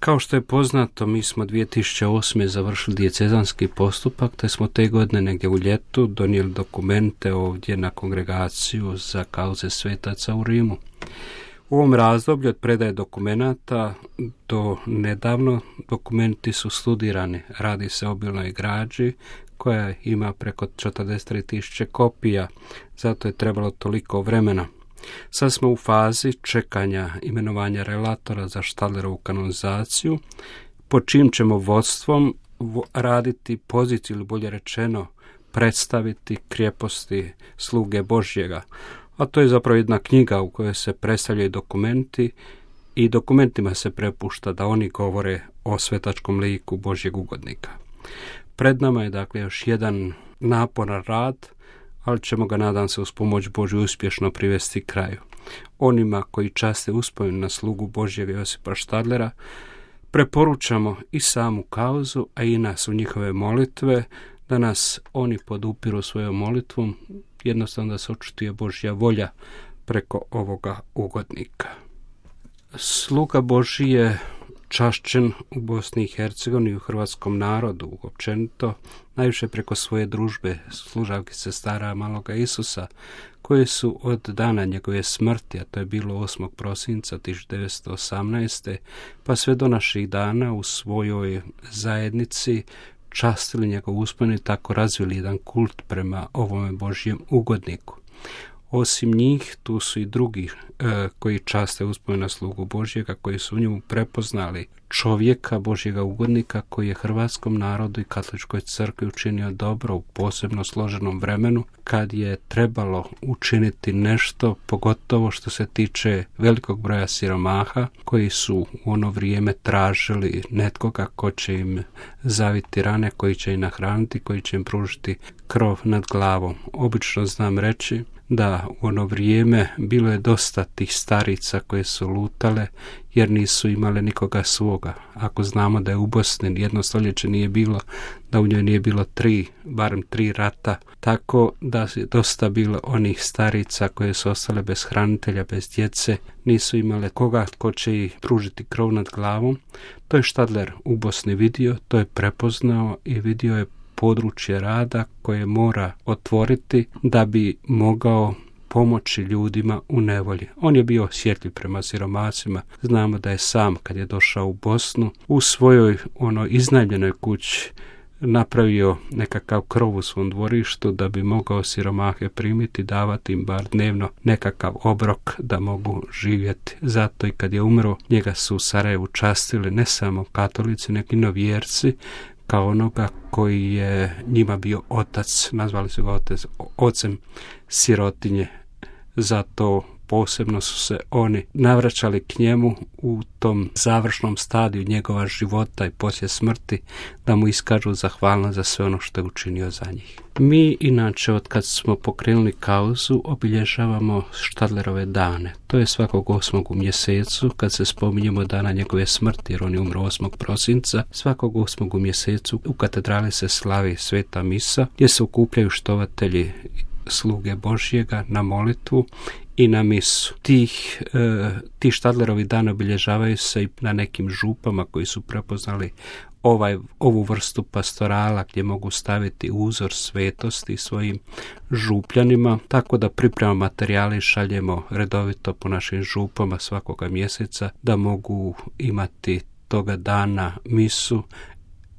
Kao što je poznato, mi smo 2008. završili dijecezanski postupak, te smo te godine negdje u ljetu donijeli dokumente ovdje na kongregaciju za kauze svetaca u Rimu. U ovom razdoblju od predaje dokumenata do nedavno dokumenti su studirani. Radi se o obilnoj građi koja ima preko 43.000 kopija, zato je trebalo toliko vremena. Sad smo u fazi čekanja imenovanja relatora za Štadlerovu kanonizaciju, pod čim ćemo vodstvom raditi poziciju, ili bolje rečeno predstaviti krijeposti sluge Božjega. A to je zapravo jedna knjiga u kojoj se predstavljaju dokumenti i dokumentima se prepušta da oni govore o svetačkom liku Božjeg ugodnika. Pred nama je dakle još jedan naporan rad, ali ćemo ga, nadam se, uz pomoć Božju uspješno privesti kraju. Onima koji časte uspomenu na slugu Božjega Josipa Štadlera preporučamo i samu kauzu, a i nas u njihove molitve, da nas oni podupiru svojom molitvom, jednostavno da se očituje Božja volja preko ovoga ugodnika. Sluga Božji je čašćen u Bosni i Hercegovini i u hrvatskom narodu općenito, najviše preko svoje družbe služavki sestara Maloga Isusa, koje su od dana njegove smrti, a to je bilo 8. prosinca 1918. pa sve do naših dana u svojoj zajednici častili njegov uspomenu i tako razvili jedan kult prema ovome Božjem ugodniku. Osim njih, tu su i drugi koji časte uspomenu na slugu Božjega, koji su u njemu prepoznali čovjeka Božjega ugodnika, koji je hrvatskom narodu i katoličkoj crkvi učinio dobro u posebno složenom vremenu, kad je trebalo učiniti nešto, pogotovo što se tiče velikog broja siromaha, koji su u ono vrijeme tražili netkoga ko će im zaviti rane, koji će im nahraniti, koji će im pružiti krov nad glavom. Obično znam reći da u ono vrijeme bilo je dosta tih starica koje su lutale jer nisu imale nikoga svoga. Ako znamo da je u Bosni jedno stoljeće nije bilo, da u njoj nije bilo barem tri rata, tako da je dosta bilo onih starica koje su ostale bez hranitelja, bez djece, nisu imale koga tko će ih pružiti krov nad glavom. To je Štadler u Bosni vidio, to je prepoznao i vidio je područje rada koje mora otvoriti da bi mogao pomoći ljudima u nevolji. On je bio osjetljiv prema siromacima. Znamo da je sam, kad je došao u Bosnu, u svojoj iznajmljenoj kući napravio nekakav krov u svom dvorištu da bi mogao siromahe primiti, davati im bar dnevno nekakav obrok da mogu živjeti. Zato i kad je umro, njega su u Sarajevu častili ne samo katolici, nego i novjerci, kao onoga koji je njima bio otac, nazvali su ga ocem sirotinje. Zato posebno su se oni navraćali k njemu u tom završnom stadiju njegova života i poslije smrti, da mu iskažu zahvalnost za sve ono što je učinio za njih. Mi inače, od kad smo pokrenuli kauzu, obilježavamo Štadlerove dane. To je svakog 8. u mjesecu, kad se spominjemo dana njegove smrti, jer on je umro 8. prosinca. Svakog 8. u mjesecu u katedrali se slavi sveta misa, gdje se okupljaju štovatelji sluge Božjega na molitvu i na misu. Ti Štadlerovi dani obilježavaju se i na nekim župama koji su prepoznali ovu vrstu pastorala, gdje mogu staviti uzor svetosti svojim župljanima, tako da pripremamo materijale i šaljemo redovito po našim župama svakoga mjeseca, da mogu imati toga dana misu,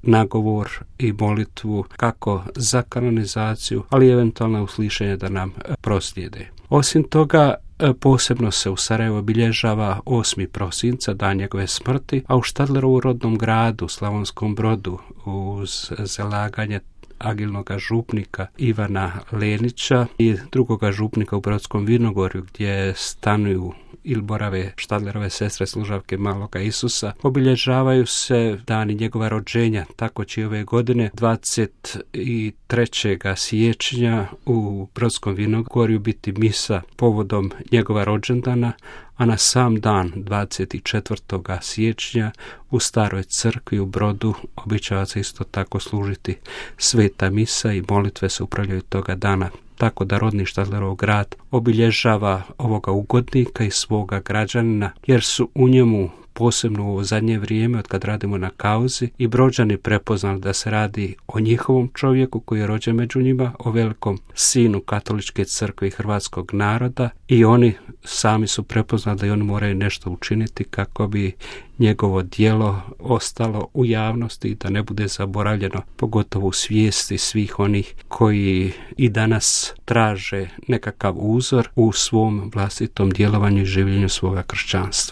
nagovor i molitvu kako za kanonizaciju, ali eventualno uslišenje da nam proslijede. Osim toga, posebno se u Sarajevu obilježava 8. prosinca, dan njegove smrti, a u Štadlerovu rodnom gradu, Slavonskom Brodu, uz zalaganje agilnog župnika Ivana Lenića i drugoga župnika u Brodskom Vinogorju, gdje stanuju ili borave Štadlerove sestre služavke Maloga Isusa, obilježavaju se dani njegova rođenja. Tako će ove godine 23. siječnja u Brodskom Vinogorju biti misa povodom njegova rođendana, a na sam dan 24. siječnja u Staroj crkvi u Brodu običava se isto tako služiti sveta misa i molitve se upravljaju toga dana. Tako da rodni Štadlerov grad obilježava ovoga ugodnika i svoga građanina, jer su u njemu posebno u ovo zadnje vrijeme od kad radimo na kauzi, i Brođani prepoznali da se radi o njihovom čovjeku koji je rođen među njima, o velikom sinu katoličke crkve i hrvatskog naroda, i oni sami su prepoznali da i oni moraju nešto učiniti kako bi njegovo djelo ostalo u javnosti i da ne bude zaboravljeno, pogotovo u svijesti svih onih koji i danas traže nekakav uzor u svom vlastitom djelovanju i življenju svoga kršćanstva.